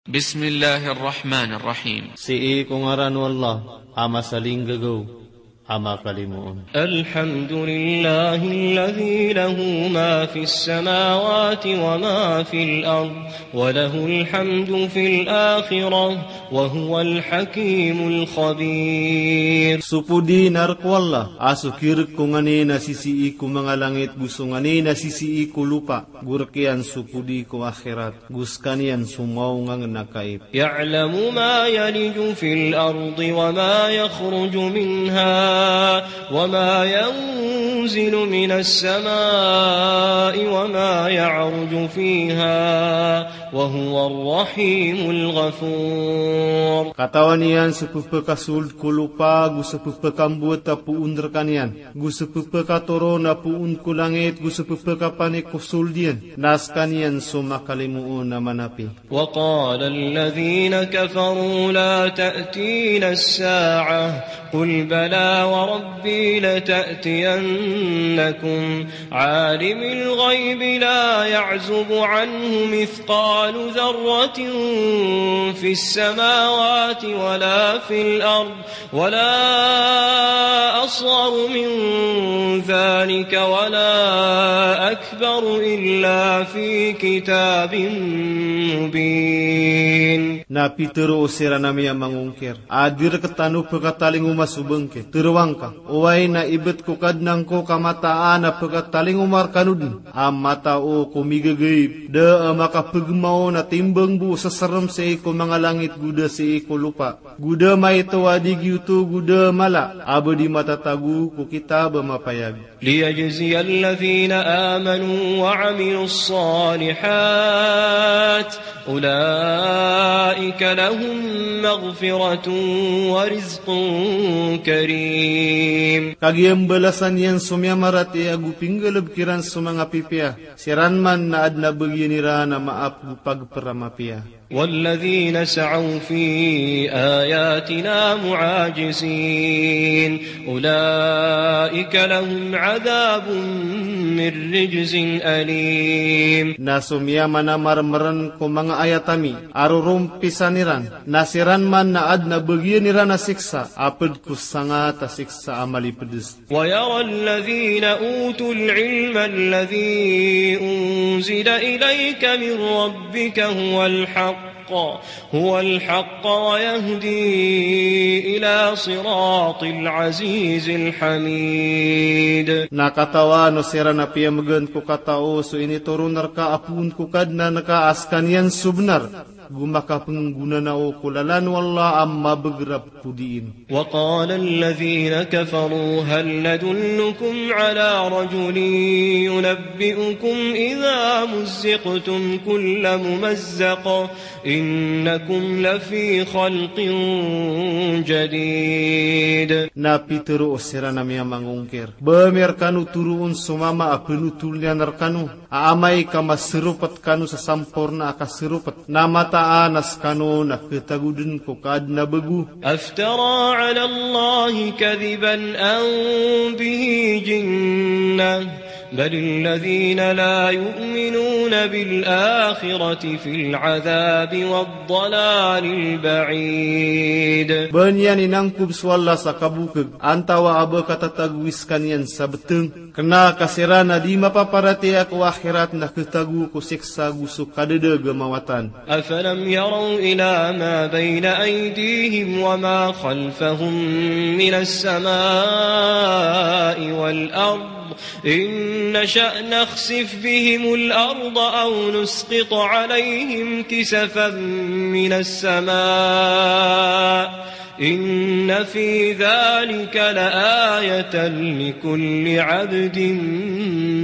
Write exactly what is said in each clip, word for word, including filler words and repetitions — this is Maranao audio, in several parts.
Bismillahir Rahmanir Rahim. Sii ko ngaran o Allah a masalinggagaw a makalimoon. Alhamdulillahilladhi lahu ma fis samawati wa ma fil ard, wa lahul hamdu fil akhirah, wa huwal hakimul khabir. So podi na rk o Allah a so kirk ko nganin a sisii ko manga langit go so nganin a sisii ko lopa, go rk iyan so podi ko akhirat, go skaniyan so maong a ngn a kaib. Ya'lamu ma yaliju fil ardi wa ma yakhruju minha wa ma yanzilu minas samai wa ma ya'ruju fiha wa huwar rahimul ghafur. Katawan iyan so pphakasold ko lopa go so pphakambowat a poon rkaniyan, go so pphakatoron a poon ko langit go so pphakapanik ko sold iyan, na skaniyan so makalimoon a manapi. Wa qala alladhina kafaru la ta'tina as-sa'ah, qul bala wa rabbi lata'tiyannakum, alimil ghaybi la ya'zubu anhu mithqalu dharratin fis samawati wa la fil ard, wa la asgharu min dhalika wa la akbaru illa fi kitabin mubin. Na pitharo o siran a miyamangongkir a di rktano pkatalingoma so bngke. Tharoa ngka, oway na ibt ko Kadnan ko ka mataan a pkatalingoma rkano dn a matao ko migagaib, da a makapgmaon a timbang bo o ssrm sii ko manga langit go da sii ko lopa, go da maito a di giyoto go da mala a ba di matatago ko kitab a mapayag. Liyajziyalladhina amanu wa amilus salihat, ulaika lahum maghfiratun wa rizqun karim. Kagiya mbalasan iyan so miyamaratiyaya go pinggalbk iran so manga pipiya, siran man na adn a bagiyan iran a maap go pagpr a mapiya. Walladhina sa'u fi ayatina mu'ajizin, ulaika lahum adhabun min rijzin alim. Na so miyamanamarmrn ko manga ayat ami a rorompisan iran, na siran man na adn a bagiyan iran a siksa a pd ko sangat a siksa a malipds. Wa yara alladhina utul ilma alladhi unzila ilayka min rabbika huwal haqq, huwal haqq wa yahdi ila siratil azizil hamid. Na katawan o siran a piyamgn ko katao so initoron rka a poon ko Kadnan ka a skaniyan so bnar, go makapnggonanao ko lalan o Allah a mabagr a podiin. Wa qala alladhina kafaru hal nadullukum ala rajulin yunabbi'ukum idha muzziqtum kulla mumazzaq innakum lafi khalqin jadid. Na pitharo o siran a miyamangongkir, ba ami rkano toroon so mama a pnotol iyan rkano a amay ka masaropt kano sa samporna a kasaropt, na mataan a skano na khatago dn ko kaadn a bago. Aftara ala Allahi kadhiban am bihi jinnah, balil ladhina la yu'minuna bil akhirati fil adhabi wad dalalil ba'id. Ba niyan inangkob so Allah sa kabokg, antaa a ba katatagowi skaniyan sa btng. Kna ka siran a di mapaparatiyaya ko akhirat na khatago ko siksa go so kadadag a mawatan. Afalam yaraw ila ma bayna aydihim wa ma khalfahum minas samai wal ard, in nasha' nakhsif bihimul arda aw nusqit alayhim kisafan minas sama. Inna fi dhalika la ayatan likulli abdin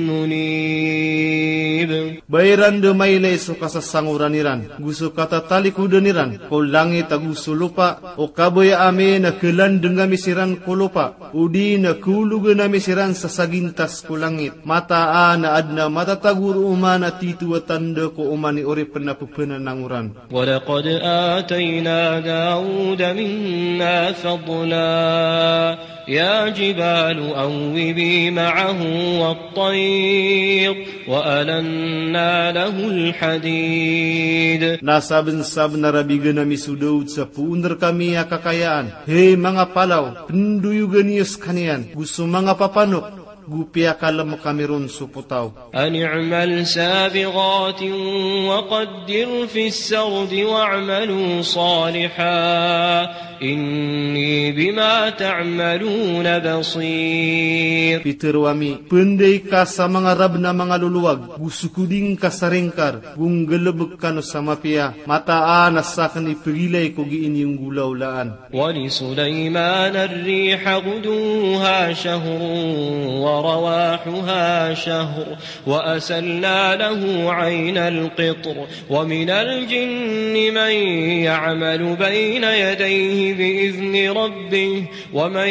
munib. Ba iran dn mailay so kasasangoran iran, go so katatalikodan iran ko langit ago so lopa, o kabaya ami na khalandng ami siran ko lopa, odi na khaologan ami siran sa sagintas ko langit. Mataan a adn a matatago roo man a tito a tanda ko oman i oripn a pphananangoran. Wa laqad atayna Dawuda minna fadla. يا جبال أوبي معه والطير وألنا له الحديد. Na sabensabenar a bigan ami so daod sa poon rekami a kakayaan. Hay manga palaw, pendoyogan iyo sekaniyan, go so manga papanok, go piyakalem kami ron so potaw. أن اعمل سابغات وقدر في السرد واعملوا صالحا إني بما تعملون بصير. Pitero ami, pendai ka sa manga rab na manga lolowag, go sokodi ngka sa ringkar, go nggalebek kano sa mapiya, mataan a saken i pegilay ko gii niyo nggolawlaan. ولسليمان الريح غدوها شهر ورواحها شهر وأسلنا له عين القطر ومن الجن من يعمل بين يديه بإذن ربه ومن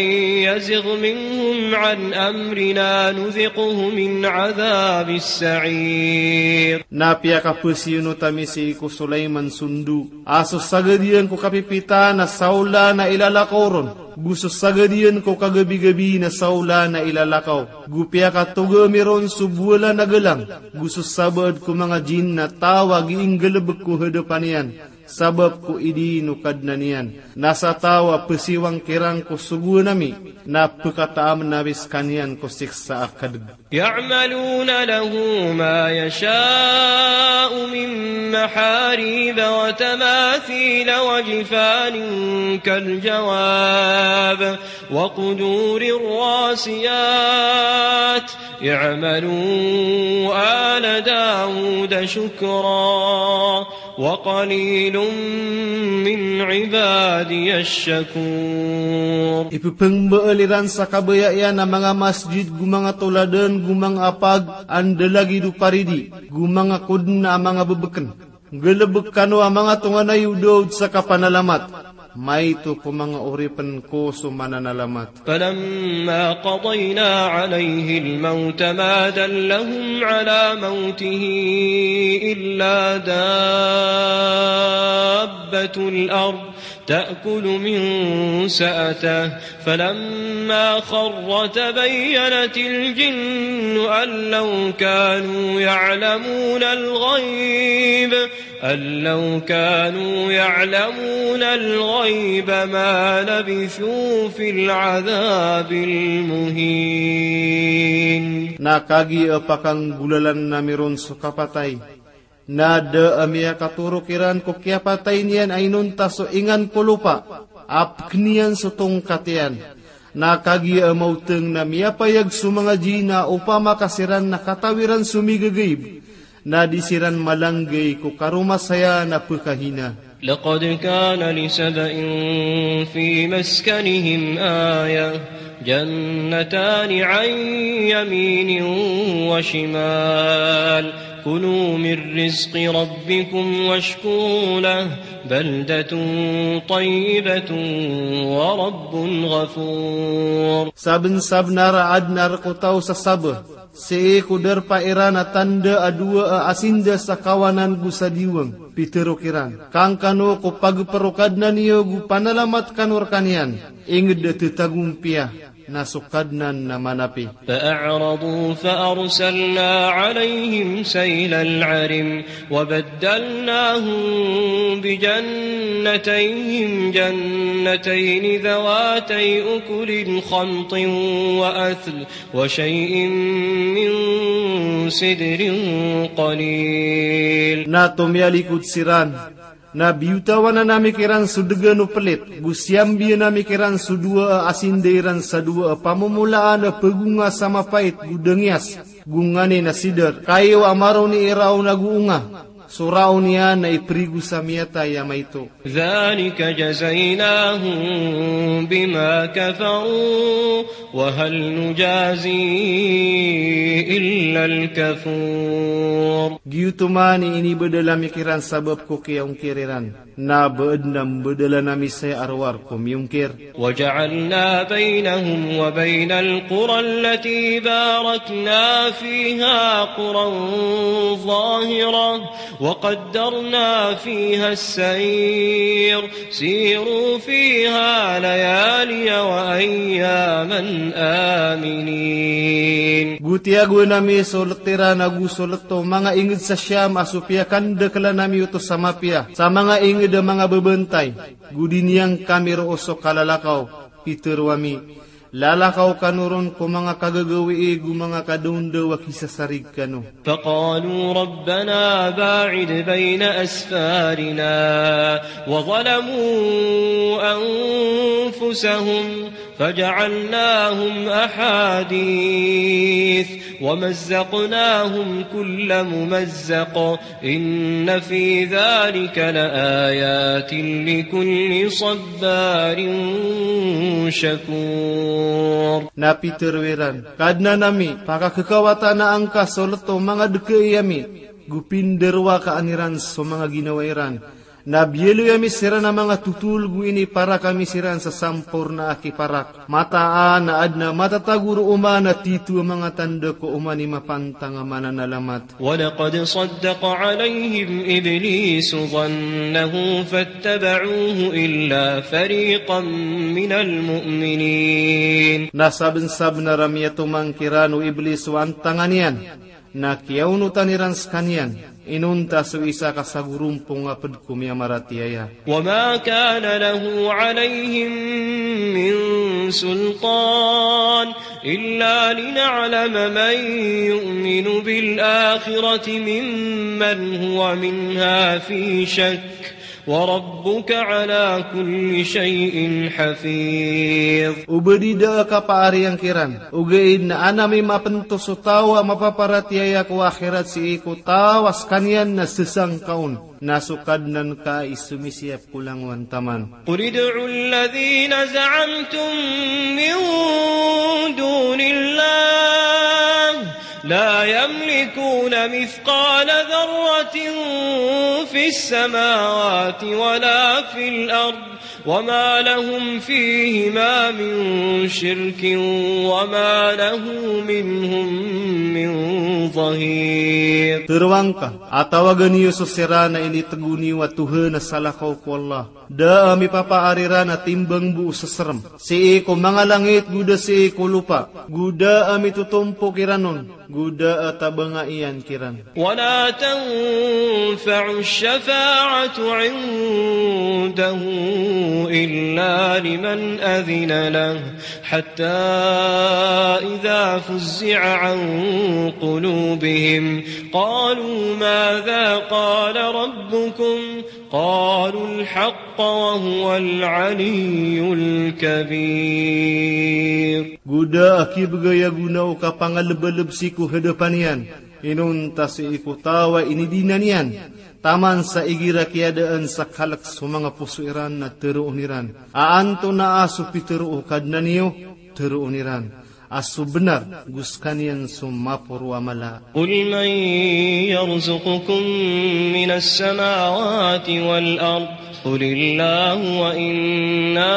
يزغ منهم عن أمرنا نذقه من عذاب السعير. Na piyakapesiyono tami sii ko Sulaiman so ndo a so sagad iyan ko kapipita na saola na ilalakaw ron, go so sagad iyan ko kagabigabi na saola na ilalakaw, go piyakatoga ami ron so bowalan a galang, go so sabaad ko manga jinn na taw a gii nggalebek ko hadapan iyan, sabap ko idin o Kadnan iyan. Na sa taw a pesiwang kiran ko sogoan ami, na pekataam na ami sekaniyan ko siksa a kadeg. يعملون له ما يشاء من محاريب وتماثيل وجفان كالجواب وقدور راسيات اعملوا آل داود شكرا وقليل من عبادي الشكور. Ipepengbaal iran sa kabaya iyan a manga masjid, go manga toladan, go manga apag, anda lagid o paridi, go manga koden a manga bebeken. Nggalebek kano a manga tonganay o daod sa kapanalamat. Maito ko manga oripen ko so mananalamat. فلما قضينا عليه الموت ما دلهم على موته إلا دابة الأرض تأكل من سأته فلما خر تبينت الجن أن لو كانوا يعلمون الغيب أن لو كانوا يعلمون الغيب ما لبثوا في العذاب المهين. Na kagiya pakanggolalan ami ron so kapatay, na da a miyakatorok iran ko kiyapatay niyan a inonta so ingan ko lopa a peken iyan so tongkat iyan. Na kagiya a maoteng na miyapayag so manga jinn a opama ka siran na katawi ran so migagaib, na di siran malanggay ko karomasayan a pekahina. لقد كان لسبإ في مسكنهم آية جنتان عن يمين وشمال كلوا من رزق ربكم واشكروا له بلدة طيبة ورب غفور. Sabensabenar a aden a rek o taw sa Saba, sii ko darpa iran a tanda a dowa a asinda sa kawanan go sa diwang. Pitero kiran, kangkano ko pagper o Kadnan iyo go panalamat kano rekaniyan, inged a tetagompiya na so Kadnan na manapi. فأعرضوا فأرسلنا عليهم سيل العرم وبدلناهم بجنتيهم جنتين ذواتي أكل خمط وأثل وشيء من سدر قليل. Na tomiyalikod siran, na biyotawanan ami kiran so degan o pelit, go siyambiyan ami kiran so dowa a asinda iran sa dowa a pamomolaan a pagonga sa mapait go dangiyas, go nganin a sidar, kayo a maroni i raon ago onga. So raon iyan na iperigo sa miyatay a maito. ذلك جزيناهم بما كفروا وهل نجازي إلا الكفور. Giyoto man i inibedel ami kiran sabap ko kiyaongkir iran. Na ba aden a mbedelan ami saya a rowar ko miyongkir. وجعلنا بينهم وبين القرى التي باركنا فيها قرى ظاهرة وقدرنا فيها السير سيروا فيها ليالي وأياما آمنين. Go tiyagoan ami so let iran ago so let o manga inged sa Sham a so piyakandaklan ami oto sa mapiya sa manga inged a manga babantay. Go di niyan kami roo so kalalakaw. Pitharo ami, lalakaw kano ron ko manga kagagawii go manga kadaondaw a kisasarig kano. فقالوا ربنا باعد بين أسفارنا وظلموا أنفسهم فجعلناهم أحاديث ومزقناهم كل ممزق إن في ذلك لآيات لكل صبار شكور. Na pitharo iran, Kadnan ami, pakakekawatan angka so let o manga dkai ami, go pindarowakaan iran so manga ginawa iran. Na biyaloy ami siran a manga totol go iniparak ami siran sa samporna a kiparak. Mataan a aden a matatago roo man a tito a manga tanda ko oman i mapantang a mananalamat. ولقد صدق عليهم إبليس ظنه فاتبعوه إلا فريقا من المؤمنين. Na sabensabenar a miyatomang kiran o Iblis o antangan iyan, na kiyaonotan iran sekaniyan, inonta so isa ka sagorompong a ped ko miyamaratiyaya. وما كان له عليهم من سلطان إلا لنعلم من يؤمن بالآخرة ممن هو منها في شك وربك على كل شيء حفيظ. O ba di da a kapaariyan kiran, ogaid na an ami mapento so taw a mapaparatiyaya ko akhirat sii ko taw a sekaniyan na sesangka on, na so Kadnan ka i somisiyap ko langowan taman. قل ادعوا الذين زعمتم من دون الله لا يملكون مثقال ذرة في السماوات ولا في الأرض وما لهم فيهما من شرك وما له منهم من ظهير. Tero angka, a tawagan iyo so siran a initego niyo a Tohan a salakaw ko Allah. Da a mipapaar iran a timbang bo o seserem sii ko manga langit go da sii ko lopa, go da a mitotompok iran on, go da a tabanga iyan kiran. ولا تنفع الشفاعة عنده إلا لمن أذن له حتى إذا فزع عن قلوبهم قالوا ماذا قال ربكم قالوا الحق وهو العلي الكبير. Go da a kibegay a gona o kapangalebaleb sii ko hadapan iyan, inonta sii ko taw a inidinan iyan, taman sa igira kiyadaan sa kalek so manga poso iran na teroon iran a antonaa so pitero o Kadnan iyo, teroon iran a so benar go sekaniyan so maporo a mala. قل من يرزقكم من السماوات والأرض قل الله وإنا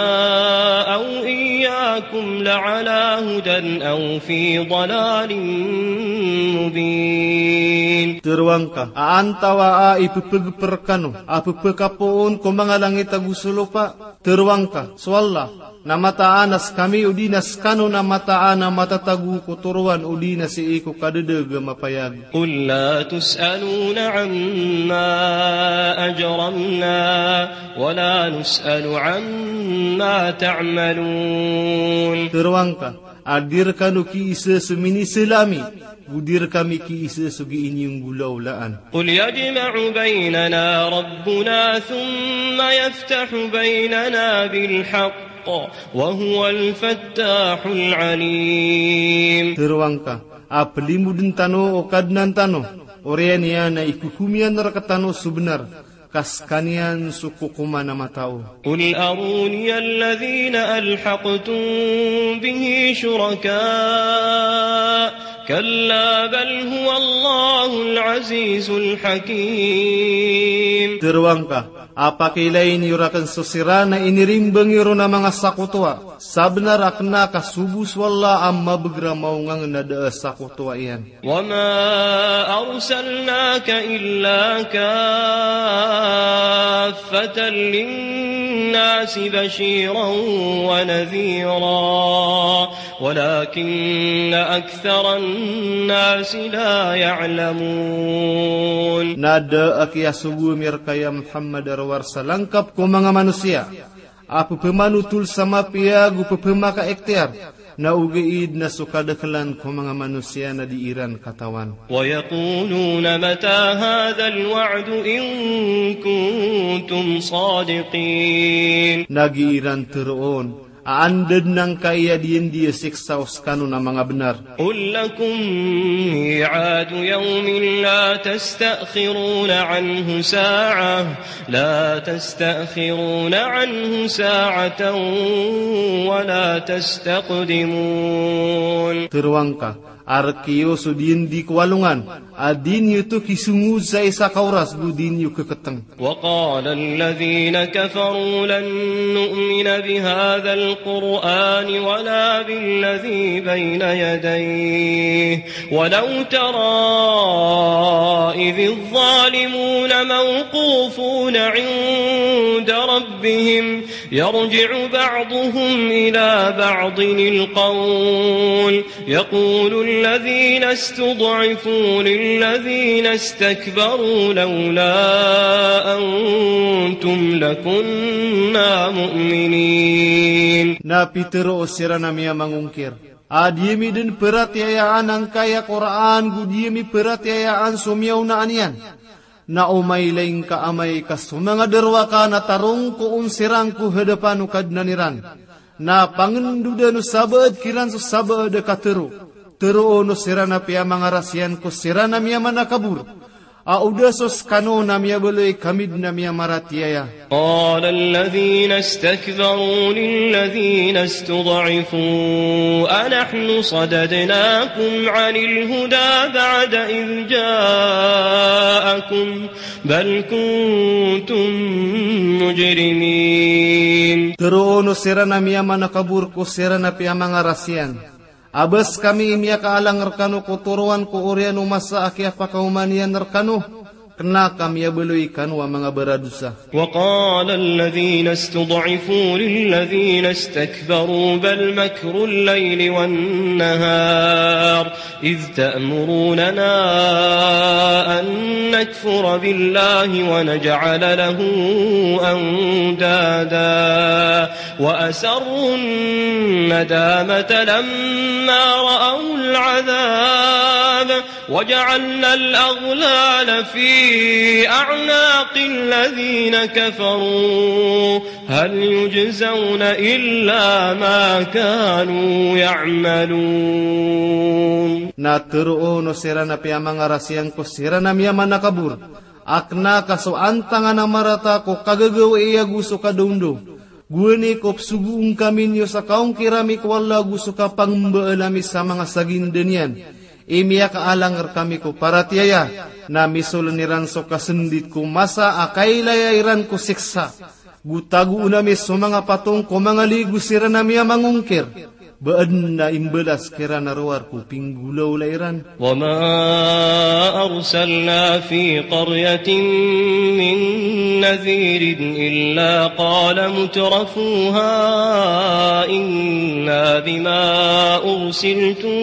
أو إياكم لعلى هدى أو في ضلال مبين. Tero angka, a antawaa i pepegeper kano a pepekapoon ko manga langit ago so lopa? Tero angka, so Allah na mataan a sekami odi na sekano na mataan a matatago ko toroan odi na sii ko kadedeg a mapayag. قل لا تسألون عما أجرمنا ولا نسأل عما تعملون. Tero angka, a di rekano kiisa so minisela ami, go di rekami kiisa so gii niyo nggolawlaan. قل يجمع بيننا ربنا ثم يفتح بيننا بالحق وهو الفتاح العليم. Tero angka, a pelimoden tano o Kadnan tano, oriyan iyan a ikokom iyan rektano so benar, ka sekaniyan so kokoman a matao. قل أروني الذين ألحقتم به شركاء كلا بل هو الله العزيز الحكيم. Tero angka, A pakailayin iyo rakn so siran a inirimbang iyo ron a manga sakotowa. Sabnar a kna ka so bo so Allah a mabagr a maongangn a da a sakotowa iyan. وما أرسلناك إلا كافة للناس بشيرا ونذيرا ولكن أكثر الناس لا يعلمون. Na da a kiyasogo ami rka ya Muhammad a rowar sa langkap ko manga manosiya a pphamanotol sa mapiya ago pphamakaikhtiyar, na ogaid na so kadaklan ko manga manosiya na di iran katawan. ويقولون متى هذا الوعد إن كنتم صادقين. Na gii ran tharoon a anda dn angkai a diyandi a siksa o skano na manga bnar. قل لكم ميعاد يوم لا تستأخرون عنه ساعة، لا تستأخرون عنه ساعة ولا تستقدمون. Tharoa ngka a rk iyo so diyandi ko alongan a di niyo oto kisongod sa isa ka oras go di niyo khaktng. وقال الذين كفروا لن نؤمن بهذا القرآن ولا بالذي بين يديه ولو ترى إذ الظالمون موقوفون عند ربهم يرجع بعضهم إلى بعض القول يقول الذين استضعفوا للذين استكبروا لولا أنتم لكنا مؤمنين. Na pitharo o siran a miyamangongkir a di ami dn paratiyayaan angkai a Qur'an go di ami paratiyayaan so miyaonaan iyan. Na o mailay ngka amay ka so manga darowaka na tarongko on siran ko hadapan o Kadnan iran, na pangndodan o sabaad kiran so sabaad a katharo. Tharoon o siran a piyamangarasiyan ko siran a miyamanakabor a o da so skano na miyabaloy kami dn a miyamaratiyaya. قال الذين استكبروا للذين استضعفوا أنحن صددناكم عن الهدى بعد إذ جاءكم بل كنتم مجرمين. Tharoon o siran a miyamanakabor ko siran a piyamangarasiyan a ba skami i miyakaalang rkano ko toroan ko oriyan o masa a kiyapakaoma niyan rkano, kna ka miyabaloy kano a manga baradosa. وقال الذين استضعفوا للذين استكبروا بل مكر الليل والنهار إذ تأمروننا أن نكفر بالله ونجعل له أندادا وأسروا الندامة لما رأوا العذاب وجعلنا الأغلال في أعناق الذين كفروا هل يجزون إلا ما كانوا يعملون. Na tharoon o siran a piyamangarasiyan ko siran a miyamanakabor a kna ka so antangan a marata ko kagagawii ago so kadaondaw. Gowani ko psogoon kami niyo sa kaongkir ami ko Allah ago so kapangmbaalan ami sa manga saginda niyan i miyakaalang rkami ko paratiyaya, na misolen iran so kasndit ko masa a kailaya iran ko siksa. Go tagoon ami so manga patong ko manga ligo siran a miyamangongkir. Ba adn a imbalas kiran a rowar ko pinggolawla iran. وما أرسلنا في قرية من نذير إلا قال مترفوها إنا بما أرسلتم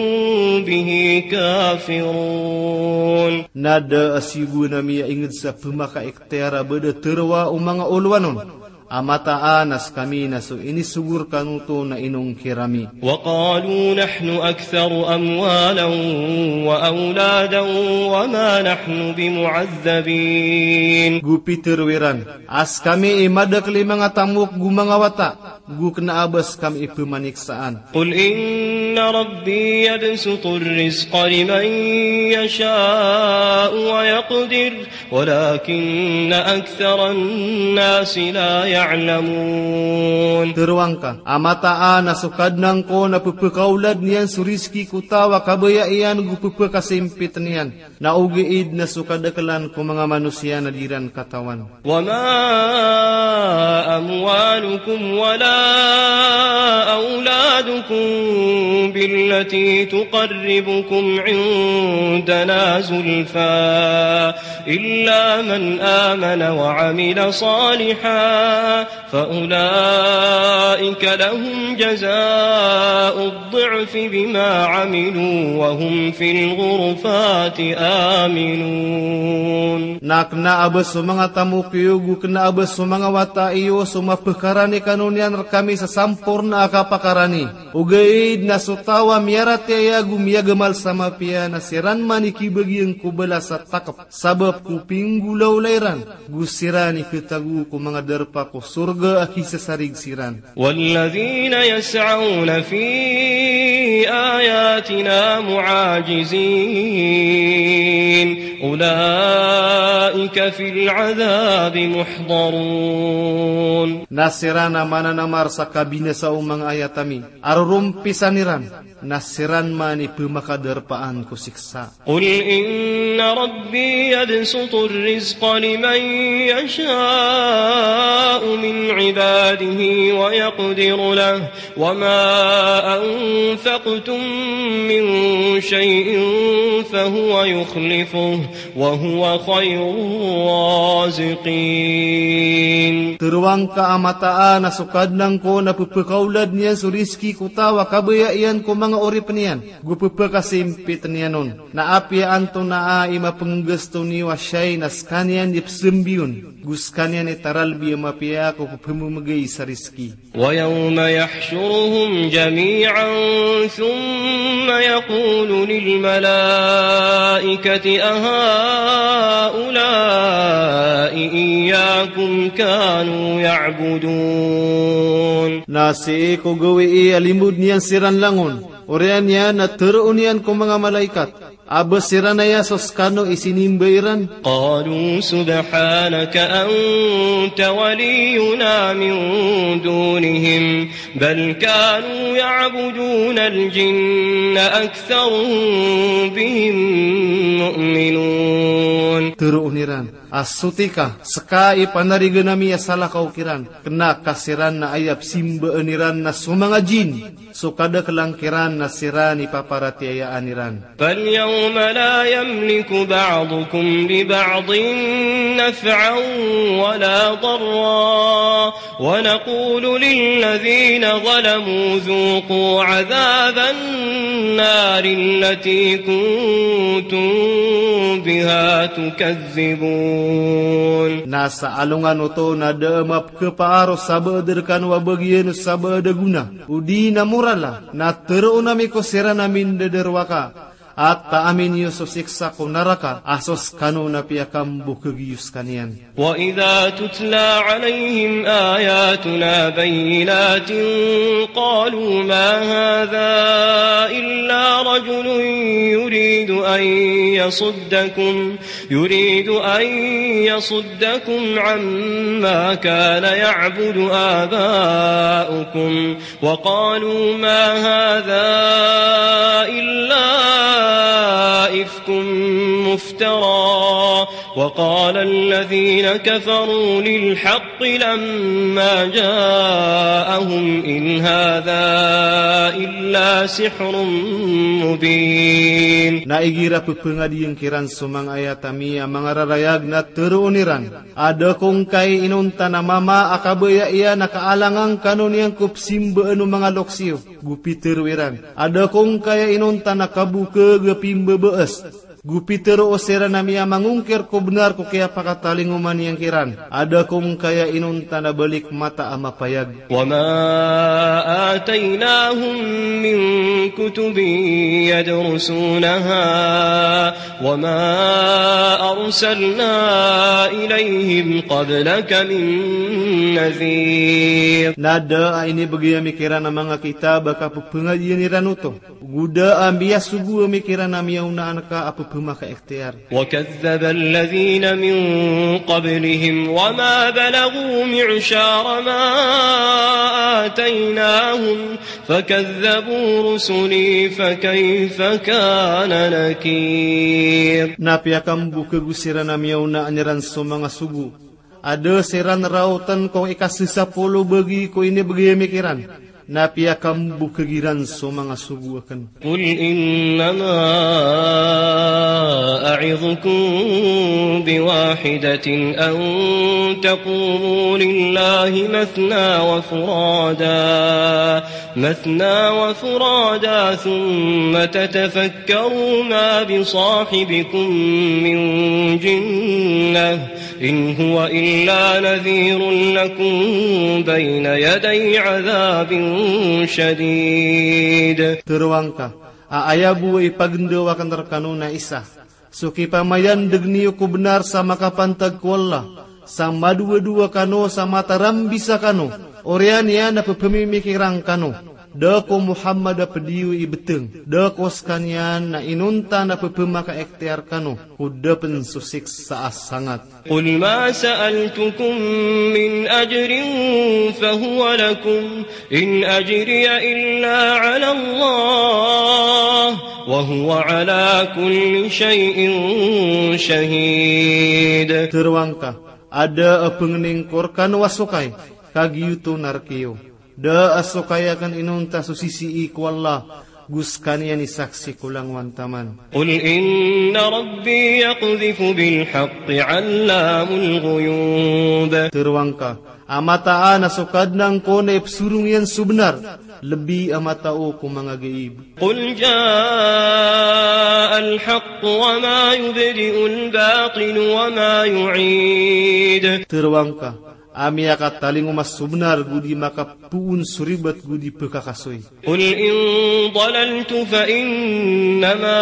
به كافرون. Na da a siyogoan ami a ingd sa pmakaikhtiyar a ba da tharoa o manga olowan on a mataan a skami na so inisogo rkano oto na inongkir ami. وقالوا نحن أكثر أموالا وأولادا وما نحن بمعذبين. Go pitharo iran a skami i madakl i manga tamok go manga wata, go kna a ba skami i pmaniksaan. قل إن ربي يبسط الرزق لمن يشاء ويقدر ولكن أكثر الناس لا يعلمون. Tero angka a mataan a so Kadnan ko na pepekaolad niyan so rizki ko taw a kabaya iyan go pepekasimpit niyan. Na ogaid na so kadakelan ko manga manosiya na di ran katawan. وما أموالكم ولا أولادكم بالتي تقربكم عندنا زلفى إلا من آمن وعمل صالحا فأولئك لهم جزاء الضعف بما عملوا وهم في الغرفات آمنون. Na kena a ba so manga tamok iyo, go kena a ba so manga wata iyo, so mapekarani kano niyan rekami sa samporna a kapakarani. Ogaid na so taw a miyaratiyaya go miyagamal sa mapiya na siran man i kibagian ko balas a takep sabap ko pinggolawla iran, go siran i ketago ko manga darpa ko sorga a kisasarig siran. والذين يسعون في آياتنا معاجزين أولئك في العذاب محضرون. Na siran a mananamar sa kabinasa o manga ayat ami a rorompisan iran, na siran man i pemakadarpaan ko siksa. قل إن ربي يبسط الرزق لمن يشاء من عباده ويقدر له وما أنفقتم من شيء فهو يخلفه وهو خير الرازقين. Tero angka a mataan a so Kadnan ko na pepekaolad niyan so rizki ko taw a kabaya iyan ko manga oripen iyan, go pepekasimpit niyan on. Na apiya antonaa i mapenggasto niyo a siyay na sekaniyan i pesembiyon, go sekaniyan i taralbi a mapiya ko pepememegay sa rizki. ويوم يحشرهم جميعا ثم يقول للملائكة أهؤلاء إياكم كانوا يعبدون. Na sii ko gawii a limbod niyan siran langon, oriyan iyan na teroon iyan ko manga malaikat a ba siran aya so sekano i sinimba iran. قالوا سبحانك أنت ولينا من دونهم بل كانوا يعبدون الجن أكثرهم بهم مؤمنون. Teroon iran a soti ka, seka i panarigan ami a salakaw kiran, kena ka siran na aya pesimbaan iran na so manga jin so kadakelan kiran na siran i paparatiyayaan iran. فاليوم لا يملك بعضكم لبعض نفعا ولا ضرا ونقول للذين ظلموا ذوقوا عذاب النار التي كنتم بها تكذبون. Na sa alongan oto na da a mapkhapaar o sabaad rekano a bagian o sabaad a gona odi na morala, na teroon ami ko siran a mindadarowaka a taamin iyo so siksa ko naraka a so sekano na piyakambokeg iyo sekaniyan. وإذا تتلى عليهم آياتنا بينات قالوا ما هذا إلا رجل يريد أن يصدكم يريد أن يصدكم عما كان يعبد آباؤكم وقالوا ما هذا إلا إفك مفترى وقال الذين كفروا للحق لما جاءهم إن هذا إلا سحر مبين. Na igira pepengadiyen kiran so manga ayat ami a manga rarayag na teroon iran a da ko ngkai inonta na mama a kabaya iyan a kaalangan kano niyan ko pesimbaan o manga loks iyo. Go pitero iran a da ko ngkai inonta na kabokeg a pimbabaas. Go pitero o siran a miyamangongkir ko benar ko kiyapakatalingoma niyan kiran a da ko ngkai inonta na balik mata a mapayag. وما آتيناهم من كتب يدرسونها وما أرسلنا إليهم قبلك من نذير. Na da a inibegay ami kiran a manga kitab a kapepengadiyen iran oto, go da a miyasogo ami kiran a miyaonaan ka a pemaka-ikhtiyar. وكذب الذين من قبلهم وما بلغوا معشار ما آتيناهم فكذبوا رسلي فكيف كان نكير. Na piyakambokhag o siran a miyaona iran so manga sogo a da siran raotan ko ikasesapolo bagi ko inibegay ami kiran, na piyakambokhag iran so manga sogo aken. قل إنما أعظكم بواحدة أن تقوموا لله مثنى وفرادى، مثنى وفرادى ثم تتفكروا ما بصاحبكم من جنة إن هو إلا نذير لكم بين يدي عذاب شديد. Tero angka a aya bo a ipagendaw aken rekano na isa so kipamayandeg niyo ko benar sa makapantag ko Allah, sa madowadowa kano sa matarambisa kano, oriyan iyan a pepemimikiran kano. Da ko Muhammad a pediyo i beteng, da ko sekaniyan na inonta na pepemaka-ikhtiyar kano ko da pen so siksa a sangat. قل ما سألتكم من أجر فهو لكم إن أجري إلا على الله وهو على كل شيء شهيد. Tero angka a da a pengening ko rekano a sokay, ka giyoto na rekiyo. Da a sokay aken inonta so sisii ko Allah, go sekaniyan i saksi ko langowan taman. قل إن ربي يقذف بالحق علام الغيوب. Tero angka a mataan a so Kadnan ko na ipesorong iyan so benar, lebi a matao ko manga gaib. قل جاء الحق وما يبدئ الباطل وما يعيد. Tero angka a miyakatalingoma so benar go di makapoon so ribat go di pekakasoy. قل إن ضللت فإنما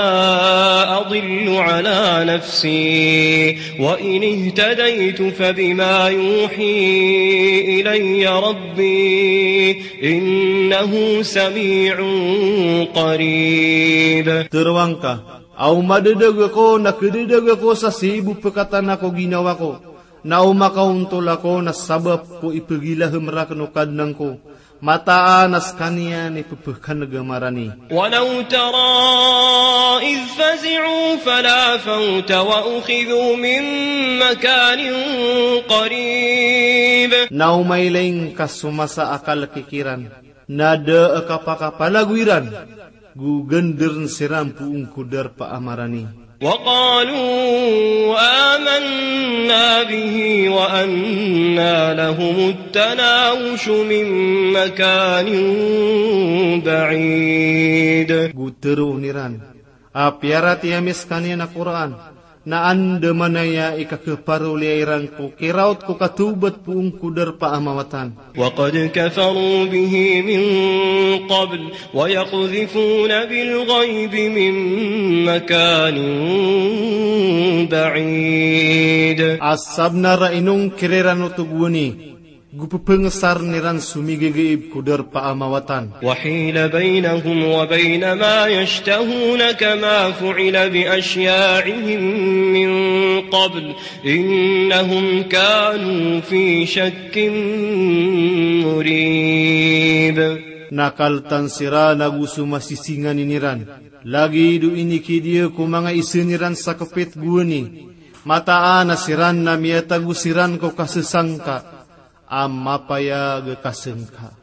أضل على نفسي وإن اهتديت فبما يوحي إلي ربي إنه سميع قريب. Tero angka a o madadag ako na kedadag ako sa sii bo pekatana ko ginawa ko, na o makaontol ako na sabap ko ipegilahem raken o Kadnan ko, mataan a sekaniyan i pepekaneg a marani. ولو ترى إذ فزعوا فلا فوت وأخذوا من مكان قريب. Na o mailay ngka so masa a kalek iran, na da a kapakapalago iran, go genderen siran poon ko darpa a marani. وقالوا آمنا به وأنى لهم التناوش من مكان بعيد. Go tero iran a piyaratiyaya mi sekaniyan a Qur'an, na andamanaya i kakeparoliya iran ko kiraot ko katawbat poon ko darpa a mawatan. وقد كفروا به من قبل ويقذفون بالغيب من مكان بعيد. A sabenar a inongkir iran oto gowani, go pepengesar iran so migegaib ko darpa a mawatan. وحيل بينهم وبين ما يشتهون كما فعل بأشياعهم من قبل إنهم كانوا في شك مريب. Na kaletan siran ago so masisinganin iran, lagid o inikidiya ko manga isa iran sa kepit gowani, mataan a siran na miyatago siran ko kasesangka a mapayag a kasengka.